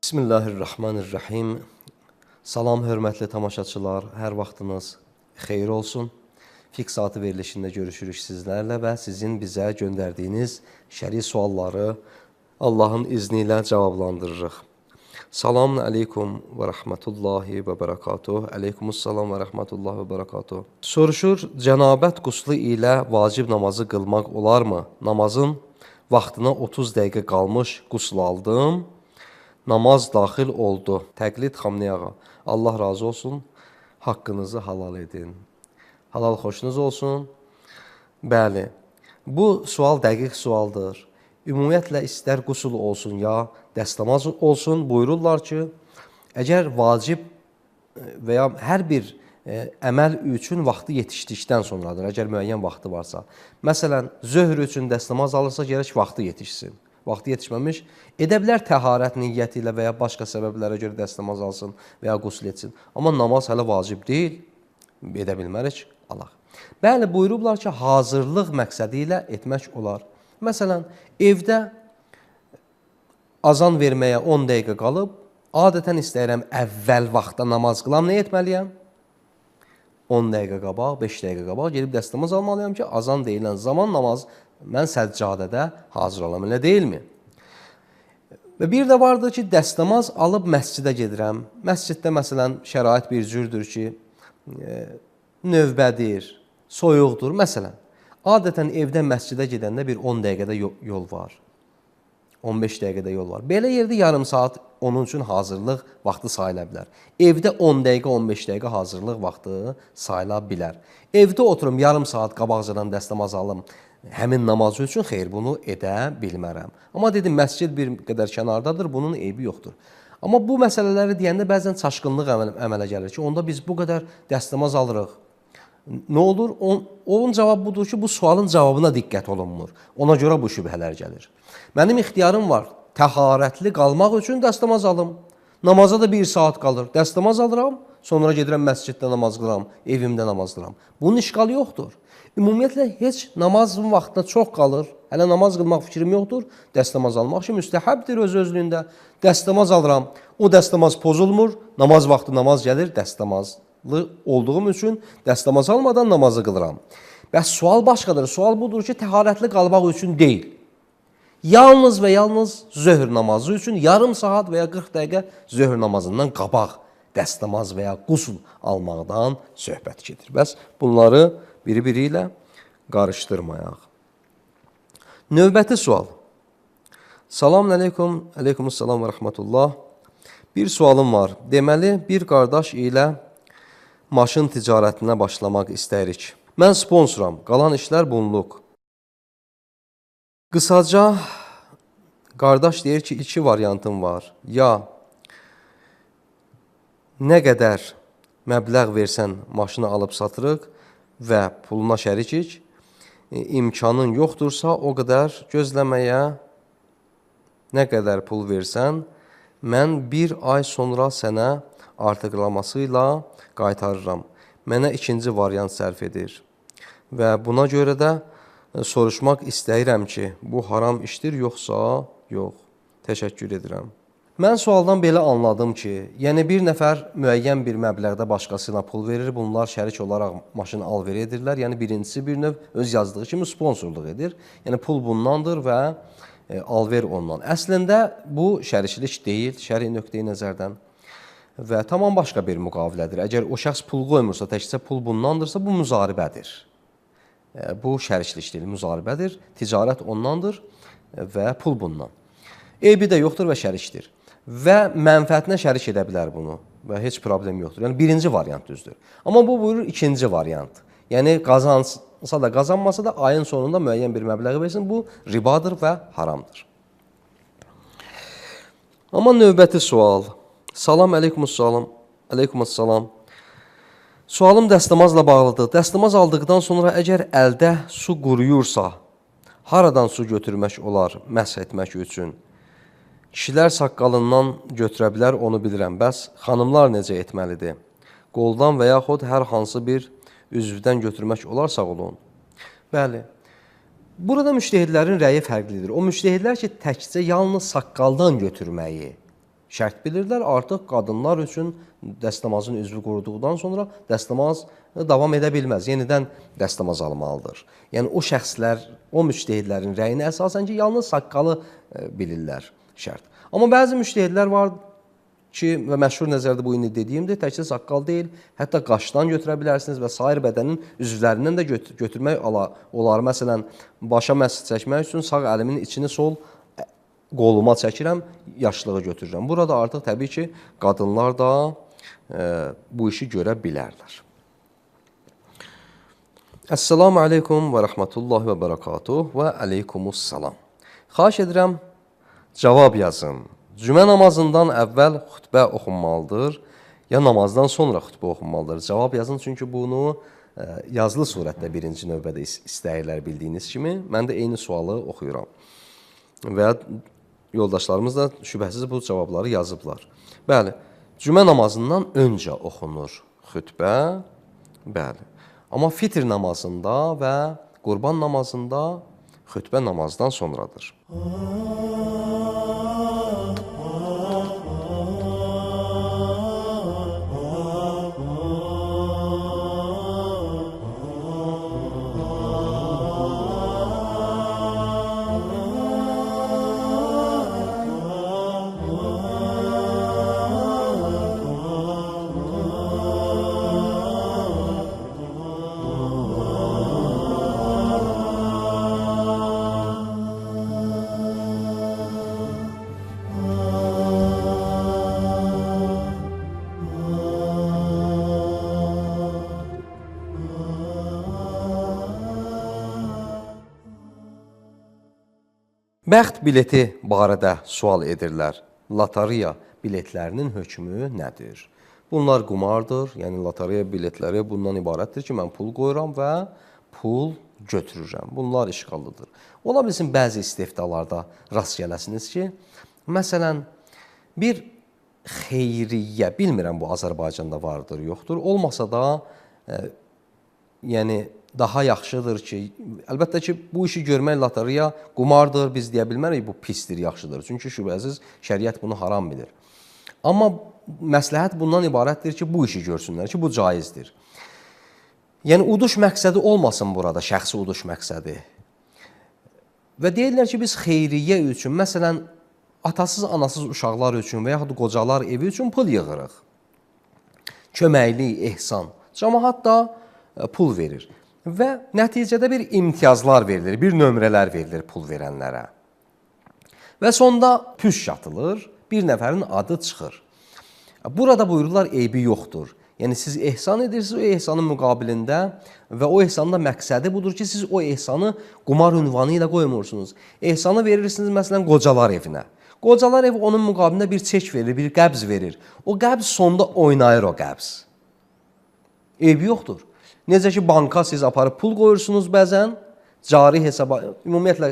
Bismillahirrahmanirrahim. Salam, hörmətli tamaşaçılar, hər vaxtınız xeyir olsun. Fiqh saatı verilişində görüşürük sizlərlə və sizin bizə göndərdiyiniz şəri sualları Allahın izni ilə cavablandırırıq. Selamun aleykum və rəhmətullahi və bərəkatuh. Aleykumussalam və rəhmətullahi və bərəkatuh. Soruşur, cənabət quslu ilə vacib namazı qılmaq olarmı? Namazın vaxtına 30 dəqiqə qalmış qusl aldım. Namaz daxil oldu. Təqlid Xamniyağa. Allah razı olsun. Haqqınızı halal edin. Halal xoşunuz olsun. Bəli. Bu sual dəqiq sualdır. Ümumiyyətlə istər qusul olsun ya dəstəmaz olsun. Buyururlar ki, əgər vacib və ya hər bir əməl üçün vaxtı yetişdikdən sonradır. Əgər müəyyən vaxtı varsa. Məsələn, zöhr üçün dəstəmaz alırsa, gərək vaxtı yetişsin. Vaxtı yetişməmiş, edə bilər təharət niyyəti ilə və ya başqa səbəblərə görə dəstəmaz alsın və ya qusl etsin. Amma namaz hələ vacib deyil, edə bilmərik, alaq. Bəli, buyurublar ki, hazırlıq məqsədi ilə etmək olar. Məsələn, evdə azan verməyə 10 dəqiqə qalıb, adətən istəyirəm əvvəl vaxtda namaz qılam, nə etməliyəm? 10 dəqiqə qabaq, 5 dəqiqə qabaq gedib dəstəmaz almalıyam ki, azan deyilən zaman namaz mən səccadədə hazır olam, elə deyilmi? Və bir də vardır ki, dəstəmaz alıb məscidə gedirəm. Məsciddə məsələn şərait bir cürdür ki, növbədir, soyuqdur. Məsələn, adətən evdə məscidə gedəndə bir 10 dəqiqədə yol var. 15 dəqiqədə yol var. Belə yerdə yarım saat onun üçün hazırlıq vaxtı sayıla bilər. Evdə 10 dəqiqə, 15 dəqiqə hazırlıq vaxtı sayıla bilər. Evdə oturum yarım saat qabaqcadan dəstəmaz alım, həmin namazı üçün xeyr, bunu edə bilmərəm. Amma dedim, məscid bir qədər kənardadır, bunun eybi yoxdur. Amma bu məsələləri deyəndə bəzən çaşqınlıq əmələ gəlir ki, onda biz bu qədər dəstəmaz alırıq. Nə olur? Onun cavabı budur ki, bu sualın cavabına diqqət olunmur. Ona görə bu şübhələr gəlir. Mənim ixtiyarım var, təharətli qalmaq üçün dəstəmaz alım. Namaza da 1 saat qalır, dəstəmaz alıram, sonra gedirəm məsciddə namaz qıram, evimdə namaz qıram. Bunun işqalı yoxdur. Ümumiyyətlə, heç namazın vaxtına çox qalır, hələ namaz qılmaq fikrim yoxdur, dəstəmaz almaq ki, müstəhəbdir öz-özlüyündə. Dəstəmaz alıram, o dəstəmaz pozulmur, namaz vaxtı namaz gəlir, dəstəmazlı olduğum üçün dəstəmaz almadan namazı qılıram. Bəs sual başqadır, sual budur ki, təharətli qalmaq üçün deyil. Yalnız və yalnız zöhr namazı üçün yarım saat və ya 40 dəqiqə zöhr namazından qabaq dəstəmaz və ya qusl almaqdan söhbət gedir. Bəs bunları biri-biri ilə qarışdırmayaq. Növbəti sual. Selamun aleykum, aleykumussalam və rəhmətullah. Bir sualım var. Deməli, bir qardaş ilə maşın ticarətinə başlamaq istəyirik. Mən sponsoram, qalan işlər bunluq. Qısaca, qardaş deyir ki, 2 variantım var. Ya nə qədər məbləğ versən maşını alıb satırıq və puluna şərikik, imkanın yoxdursa o qədər gözləməyə, nə qədər pul versən, mən 1 ay sonra sənə artıqlaması ilə qaytarıram. Mənə 2-ci variant sərf edir. Və buna görə də soruşmaq istəyirəm ki, bu haram işdir, yoxsa yox. Təşəkkür edirəm. Mən sualdan belə anladım ki, yəni bir nəfər müəyyən bir məbləğdə başqasına pul verir, bunlar şərik olaraq maşını al-ver edirlər. Yəni birincisi bir növ öz yazdığı kimi sponsorluq edir. Yəni pul bundandır və al-ver ondan. Əslində bu şəriklik deyil, şəri nöqteyi nəzərdən və tamam başqa bir müqavilədir. Əgər o şəxs pul qoymursa, təkcə pul bundandırsa, bu müzaribədir. Bu şəriklik deyil, müzaribədir. Ticarət ondandır və pul bundan. Eybi də yoxdur və şərikdir. Və mənfəətinə şərik edə bilər bunu və heç problem yoxdur. Yəni birinci variant düzdür. Amma bu buyurur 2-ci variant. Yəni qazansa da qazanmasa da ayın sonunda müəyyən bir məbləği versin. Bu ribadır və haramdır. Amma növbəti sual. Salam aleykumussalam. Aleykumussalam. Sualım dəstəmazla bağlıdır. Dəstəmaz aldıqdan sonra əgər əldə su quruyursa, haradan su götürmək olar məsh etmək üçün? Kişilər saqqalından götürə bilər, onu bilirəm. Bəs xanımlar necə etməlidir? Qoldan və yaxud hər hansı bir üzvdən götürmək olar, sağ olun. Bəli. Burada müştəhidlərin rəyi fərqlidir. O müştəhidlər ki, təkcə yalnız saqqaldan götürməyi şərt bilirlər. Artıq qadınlar üçün dəstəmazın üzvü quruduqdan sonra dəstəmaz davam edə bilməz. Yenidən dəstəmaz almalıdır. Yəni o şəxslər, o müctehidlərin rəyinə əsasən ki, yalnız saqqalı bilirlər şərt. Amma bəzi müctehidlər var ki, və məşhur nəzərdə bu indi dediyimdir, təkcə saqqal deyil, hətta qaşdan götürə bilərsiniz və sair bədənin üzvlərindən də götürmək olar. Məsələn, başa məs çəkmək üçün sağ əlimin içini sol qoluma çəkirəm, yaşlığı götürürəm. Burada artıq təbii ki, qadınlar da bu işi görə bilərlər. Əssalamu aleykum və rəhmətullahi və bərəkatuh və aleykumussalam. Xahiş edirəm, cavab yazın. Cümə namazından əvvəl xütbə oxunmalıdır, ya namazdan sonra xütbə oxunmalıdır. Cavab yazın, çünki bunu yazılı surətdə birinci növbədə istəyirlər bildiyiniz kimi. Mən də eyni sualı oxuyuram. Və yoldaşlarımız da şübhəsiz bu cavabları yazıblar. Bəli, cümə namazından öncə oxunur xütbə, bəli. Amma fitr namazında və qurban namazında xütbə namazdan sonradır. Bəxt bileti barədə sual edirlər. Lotereya biletlərinin hökmü nədir? Bunlar qumardır, yəni lotereya biletləri bundan ibarətdir ki, mən pul qoyuram və pul götürürəm. Bunlar işğallıdır. Ola bilsin, bəzi istehdalarda rast gələsiniz ki, məsələn, bir xeyriyyə, bilmirəm bu Azərbaycanda vardır, yoxdur. Olmasa da, yəni, daha yaxşıdır ki, əlbəttə ki, bu işi görmək lotereya qumardır, biz deyə bilmərik, bu pisdir, yaxşıdır. Çünki şübhəsiz şəriət bunu haram bilir. Amma məsləhət bundan ibarətdir ki, bu işi görsünlər ki, bu caizdir. Yəni, uduş məqsədi olmasın burada, şəxsi uduş məqsədi. Və deyirlər ki, biz xeyriyyə üçün, məsələn, atasız, anasız uşaqlar üçün və yaxud qocalar evi üçün pul yığırıq. Köməklik, ehsan. Cəmaət da pul verir. Və nəticədə bir imtiyazlar verilir, bir nömrələr verilir pul verənlərə. Və sonda püşk atılır, bir nəfərin adı çıxır. Burada buyururlar, eybi yoxdur. Yəni, siz ehsan edirsiniz o ehsanın müqabilində və o ehsanın da məqsədi budur ki, siz o ehsanı qumar ünvanı ilə qoymursunuz. Ehsanı verirsiniz, məsələn, qocalar evinə. Qocalar evi onun müqabilində bir çek verir, bir qəbz verir. O qəbz sonda oynayır o qəbz. Eybi yoxdur. Necə ki, banka siz aparıb pul qoyursunuz bəzən, cari hesaba, ümumiyyətlə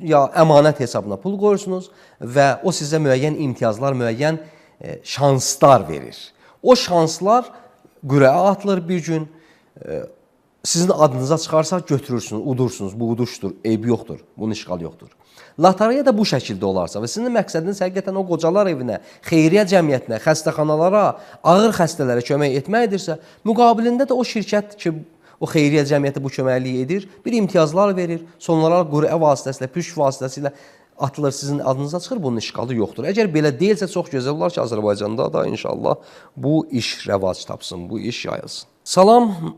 ya əmanət hesabına pul qoyursunuz və o sizə müəyyən imtiyazlar, müəyyən şanslar verir. O şanslar qürəyə atılır bir gün, sizin adınıza çıxarsa götürürsünüz, udursunuz, bu uduşdur, eybi yoxdur, bunun işğal yoxdur. Lotereya da bu şəkildə olarsa və sizin məqsədiniz həqiqətən o qocalar evinə, xeyriyyə cəmiyyətinə, xəstəxanalara, ağır xəstələrə kömək etməkdirsə, müqabilində də o şirkət ki, o xeyriyyə cəmiyyəti bu köməkliyi edir, bir imtiyazlar verir, sonralar qürə vasitəsilə, püşk vasitəsilə atılır, sizin adınıza çıxır, bunun işğalı yoxdur. Əgər belə deyilsə, çox gözəl olar ki, Azərbaycanda da inşallah bu iş rəvac tapsın, bu iş yayılsın. Salam,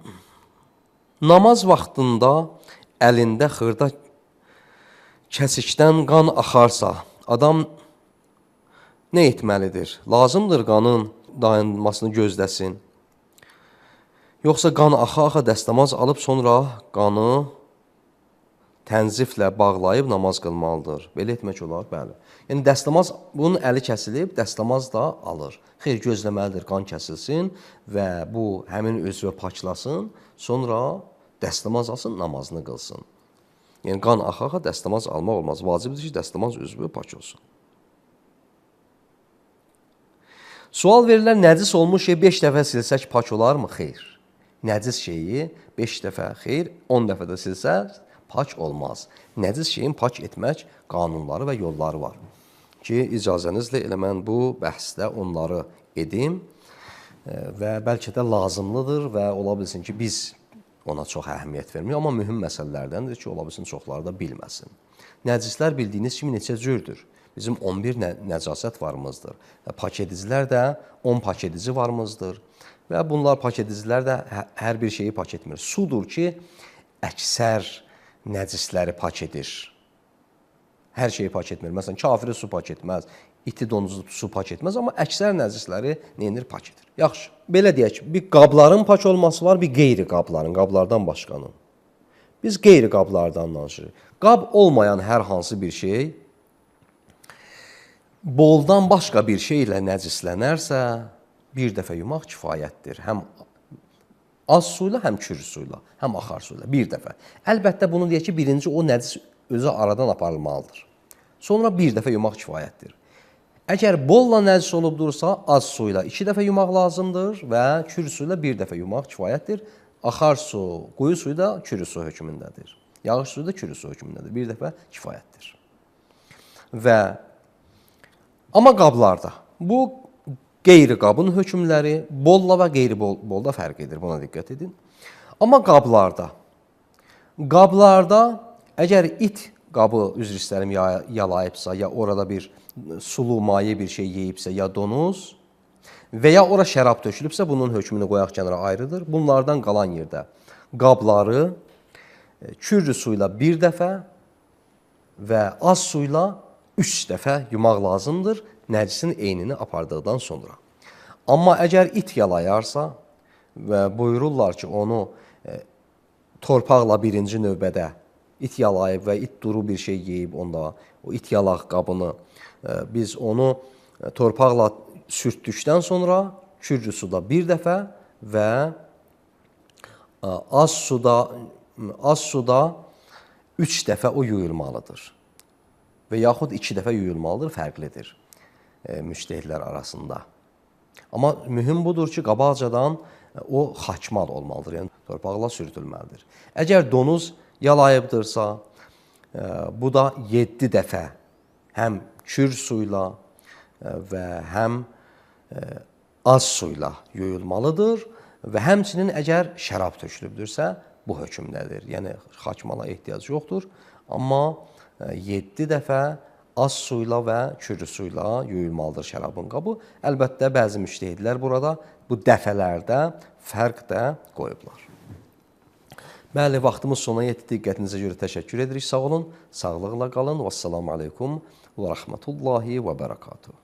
namaz vaxtında əlində xırda kəsikdən qan axarsa, adam nə etməlidir? Lazımdır qanın dayanmasını gözləsin. Yoxsa qan axa-axa dəstəmaz alıb sonra qanı tənziflə bağlayıb namaz qılmalıdır. Belə etmək olar, bəli. Yəni, dəstəmaz, bunun əli kəsilib, dəstəmaz da alır. Xeyr, gözləməlidir, qan kəsilsin və bu həmin özünü paklasın, sonra dəstəmaz alsın, namazını qılsın. Yəni, qan axa-axa dəstəmaz almaq olmaz. Vacibdir ki, dəstəmaz üzvü pak olsun. Sual verirlər, nəcis olmuş şey 5 dəfə silsək pak olarmı? Xeyr. Nəcis şeyi 5 dəfə, xeyr, 10 dəfə də silsək pak olmaz. Nəcis şeyin pak etmək qanunları və yolları var. ki, icazənizlə elə mən bu bəhsdə onları edim və bəlkə də lazımlıdır və ola bilsin ki, biz ona çox əhəmiyyət vermirik, amma mühüm məsələlərdəndir ki, ola bilsin çoxları da bilməsin. Nəcislər bildiyiniz kimi neçə cürdür? Bizim 11 nəcasət varımızdır. Pak edicilər də 10 pak edici varımızdır. Və bunlar pak edicilər də hər bir şeyi pak etmir. Sudur ki, əksər nəcisləri pak edir. Hər şeyi pak etmir. Məsələn, kafiri su pak etməz, iti donuzu su pak etməz, amma əksər nəcisləri neyinir? Pak edir. Yaxşı, belə deyək ki, bir qabların pak olması var, bir qeyri qabların, qablardan başqanın. Biz qeyri qablardan danışırıq. Qab olmayan hər hansı bir şey boldan başqa bir şey ilə nəcislənərsə, bir dəfə yumaq kifayətdir. Həm az suyla, həm kür suyla, həm axar suyla. Bir dəfə. Əlbəttə, bunu deyək ki, birinci o nəcis özü aradan aparılmalıdır. Sonra bir dəfə yumaq kifayətdir. Əgər bolla nəcis olubdursa, az suyla 2 dəfə yumaq lazımdır və kür suyla bir dəfə yumaq kifayətdir. Axar su, quyu suyu da kürü su hökmündədir. Yağış suyu da kürü su hökmündədir. Bir dəfə kifayətdir. Amma qablarda, bu qeyri qabın hökmləri bolla və qeyri bolda fərq edir, buna diqqət edin. Amma qablarda əgər it qabı, üzr istəyirəm, yalayıbsa, ya orada bir sulu, maye bir şey yeyibsə, ya donuz və ya ora şərab tökülübsə, bunun hökmünü qoyaq kənara ayrıdır. Bunlardan qalan yerdə qabları kürrü suyla bir dəfə və az suyla 3 dəfə yumaq lazımdır, nəcisin eynini apardıqdan sonra. Amma əgər it yalayarsa və buyururlar ki, onu torpaqla birinci növbədə it yalayıb və it duru bir şey yeyib onda, o it yalaq qabını biz onu torpaqla sürtdükdən sonra kürcü suda bir dəfə və az suda 3 dəfə o yuyulmalıdır. Və yaxud 2 dəfə yuyulmalıdır, fərqlidir müştəhidlər arasında. Amma mühüm budur ki, qabaqcadan o xaçmal olmalıdır, yəni torpaqla sürtülməlidir. Əgər donuz yalayıbdırsa, bu da 7 dəfə həm kür suyla və həm az suyla yuyulmalıdır və həmçinin əgər şərab tökülübdürsə, bu hökmdədir. Yəni, xaçmala ehtiyac yoxdur, amma 7 dəfə az suyla və kürü suyla yuyulmalıdır şərabın qabı. Əlbəttə, bəzi müştəhidlər burada bu dəfələrdə fərq də qoyublar. Bəli, vaxtımız sona yetdi. Diqqətinizə görə təşəkkür edirik. Sağ olun, sağlıqla qalın. Vəssalamu aleykum və rəhmətullahi və bərəkatuhu.